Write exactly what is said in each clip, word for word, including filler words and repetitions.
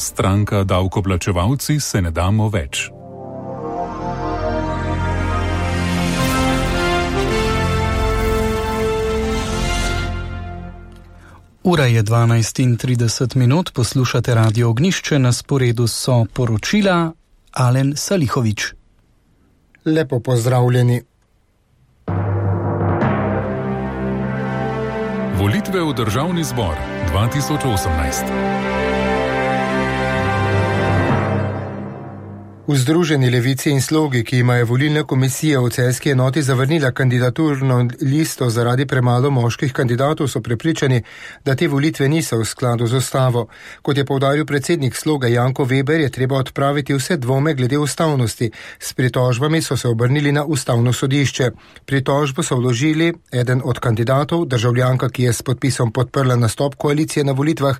Stranka Davkoplačevalci se ne damo več. Ura je dvanajst in trideset minut, poslušate Radio Ognjišče, na sporedu so poročila Alen Salihovič. Lepo pozdravljeni. Volitve v Državni zbor dva tisoč osemnajst. V Združeni levici in Slogi, ki imajo volilna komisija v celjski enoti zavrnila kandidaturno listo zaradi premalo moških kandidatov, so prepričani, da te volitve niso v skladu z ustavo. Kot je poudaril predsednik Sloga Janko Veber, je treba odpraviti vse dvome glede ustavnosti. S pritožbami so se obrnili na ustavno sodišče. Pritožbo so vložili eden od kandidatov, državljanka, ki je s podpisom podprla nastop koalicije na volitvah,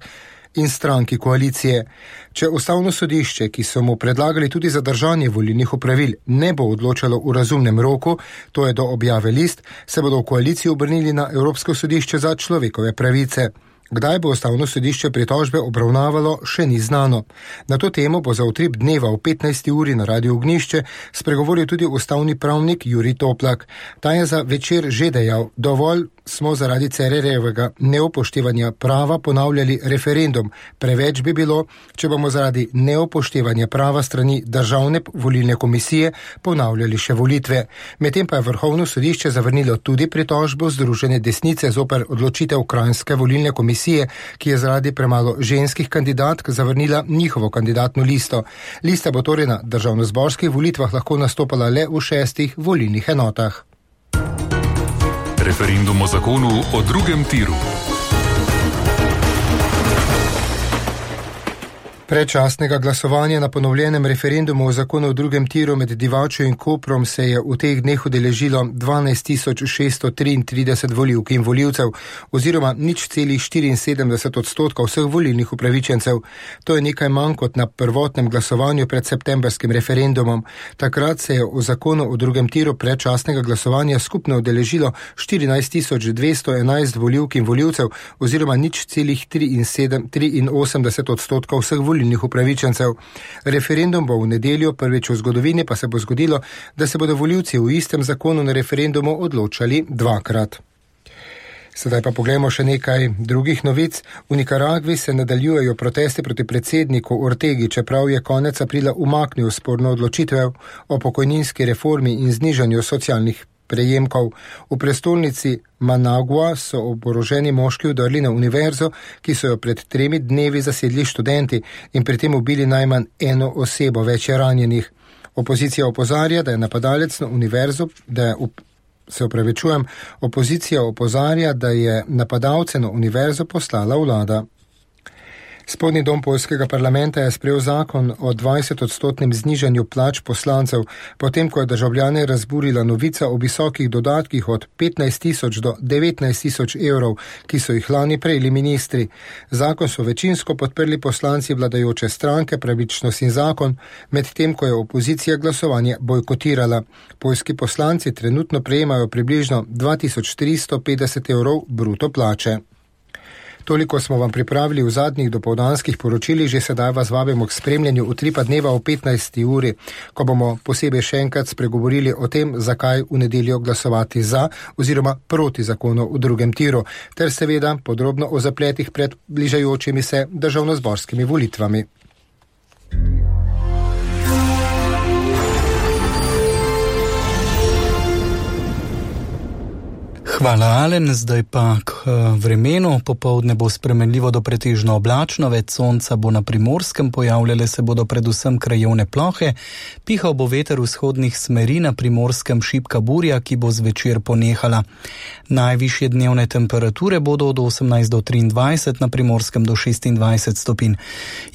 in stranki koalicije. Če ustavno sodišče, ki so mu predlagali tudi zadržanje volilnih opravil, ne bo odločalo v razumnem roku, to je do objave list, se bodo v koaliciji obrnili na Evropsko sodišče za človekove pravice. Kdaj bo ustavno sodišče pritožbe obravnavalo, še ni znano. Na to temo bo za utrip dneva v petnajsti uri na Radiu Ognjišče spregovoril tudi ustavni pravnik Jurij Toplak. Ta je za Večer že dejal: dovolj smo zaradi Cererjevega neupoštevanja prava ponavljali referendum. Preveč bi bilo, če bomo zaradi neupoštevanja prava strani Državne volilne komisije ponavljali še volitve. Medtem pa je Vrhovno sodišče zavrnilo tudi pritožbo Združene desnice zoper odločitev Kranjske volilne komisije, ki je zaradi premalo ženskih kandidatk zavrnila njihovo kandidatno listo. Lista bo torej na državnozborskih volitvah lahko nastopala le v šestih volilnih enotah. Referendum o zakonu o drugem tiru. Predčasnega glasovanja na ponovljenem referendumu o zakonu o drugem tiru med Divačo in Koprom se je v teh dneh udeležilo dvanajst tisoč šeststo triintrideset volivk in volivcev, oziroma nič celih štiriinsedemdeset odstotka vseh volilnih upravičencev. To je nekaj manj kot na prvotnem glasovanju pred septembrskim referendumom. Takrat se je v zakonu o drugem tiru predčasnega glasovanja skupno udeležilo štirinajst tisoč dvesto enajst volivk in volivcev, oziroma nič celih triinosemdeset odstotka vseh volilnih upravičencev. Referendum bo v nedeljo, prvič v zgodovini pa se bo zgodilo, da se bodo volivci v istem zakonu na referendumu odločali dvakrat. Sedaj pa poglejmo še nekaj drugih novic. V Nikaragvi se nadaljujejo protesti proti predsedniku Ortegi, čeprav je konec aprila umaknil sporno odločitev o pokojninski reformi in znižanju socialnih prejemkov. V prestolnici Managua so oboroženi moški vdrli na univerzo, ki so jo pred tremi dnevi zasedli študenti in pri tem ubili najmanj eno osebo, več je ranjenih. Opozicija opozarja, da je napadalec na univerzo, da je up, se opravičujem, opozicija opozarja, da je napadalce na univerzo poslala vlada. Spodnji dom poljskega parlamenta je sprejel zakon o dvajsetodstotnem znižanju plač poslancev, potem ko je državljane razburila novica o visokih dodatkih od petnajst tisoč do devetnajst tisoč evrov, ki so jih lani prejeli ministri. Zakon so večinsko podprli poslanci vladajoče stranke Pravičnost in zakon, medtem ko je opozicija glasovanje bojkotirala. Poljski poslanci trenutno prejemajo približno dva tisoč tristo petdeset evrov bruto plače. Toliko smo vam pripravili v zadnjih dopoldanskih poročilih, že sedaj vas vabimo k spremljanju utripa dneva v petnajsti uri, ko bomo posebej še enkrat spregovorili o tem, zakaj v nedeljo glasovati za oziroma proti zakonu v drugem tiru, ter seveda podrobno o zapletih pred bližajočimi se državnozborskimi volitvami. Hvala, Alen. Zdaj pa k vremenu. Popoldne bo spremenljivo do pretežno oblačno, več sonca bo na Primorskem, pojavljale se bodo predvsem krajevne plohe, pihal bo veter vzhodnih smeri, na Primorskem šibka burja, ki bo zvečer ponehala. Najvišje dnevne temperature bodo od osemnajst do triindvajset, na Primorskem do šestindvajset stopinj.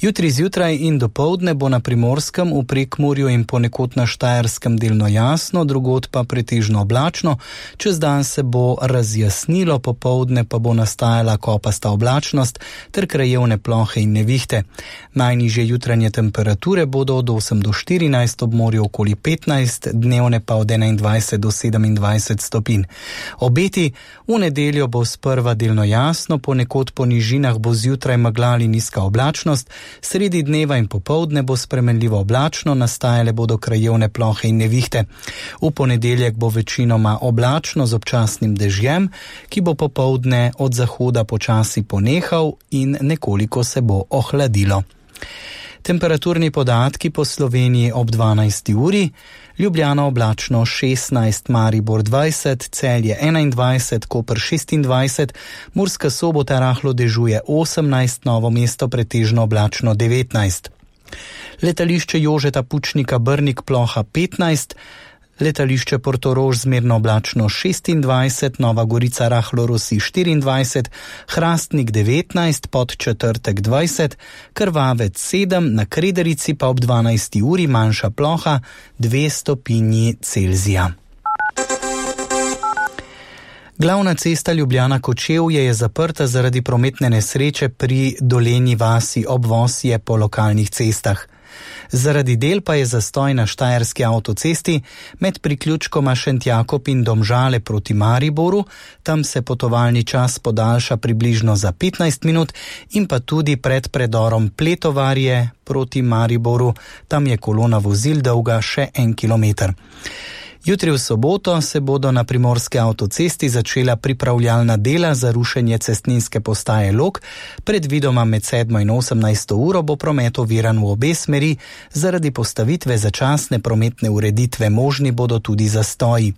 Jutri zjutraj in dopoldne bo na Primorskem, v Prekmurju in ponekod na Štajerskem delno jasno, drugod pa pretežno oblačno, čez dan se bo bo razjasnilo, popoldne pa bo nastajala kopasta oblačnost ter krajevne plohe in nevihte. Najnižje jutranje temperature bodo od osem do štirinajst, ob morju okoli petnajst, dnevne pa od enaindvajset do sedemindvajset stopinj. Obeti: v nedeljo bo sprva delno jasno, ponekod po nižinah bo zjutraj megla ali nizka oblačnost, sredi dneva in popoldne bo spremenljivo oblačno, nastajale bodo krajevne plohe in nevihte. V ponedeljek bo večinoma oblačno z občasnim dežjem, ki bo popoldne od zahoda počasi ponehal in nekoliko se bo ohladilo. Temperaturni podatki po Sloveniji ob dvanajsti uri: Ljubljana oblačno šestnajst, Maribor dvajset, Celje enaindvajset, Koper šestindvajset, Murska Sobota rahlo dežuje osemnajst, Novo mesto pretežno oblačno devetnajst. Letališče Jožeta Pučnika Brnik ploha petnajst, letališče Portorož zmerno oblačno šestindvajset, Nova Gorica rahlo rosi štiriindvajset, Hrastnik devetnajst, Podčetrtek dvajset, Krvavec sedem, na Krederici pa ob dvanajsti uri manjša ploha dve stopinji Celzija. Glavna cesta Ljubljana-Kočevje je zaprta zaradi prometne nesreče pri Dolenji vasi ob Vosje po lokalnih cestah. Zaradi del pa je zastoj na Štajerski avtocesti med priključkoma Šentjakob in Domžale proti Mariboru, tam se potovalni čas podaljša približno za petnajst minut, in pa tudi pred predorom Pletovarje proti Mariboru, tam je kolona vozil dolga še en kilometer. Jutri v soboto se bodo na primorski avtocesti začela pripravljalna dela za rušenje cestninske postaje Log. Predvidoma med sedmo in osemnajsto uro bo promet oviran v obe smeri, zaradi postavitve začasne prometne ureditve možni bodo tudi zastoji.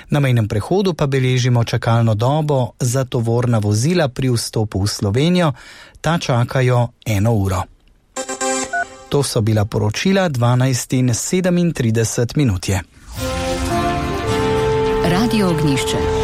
Na mejnem prehodu pa beležimo čakalno dobo za tovorna vozila pri vstopu v Slovenijo, ta čakajo eno uro. To so bila poročila dvanajst in sedemintrideset minut je. Radio Ognjišče.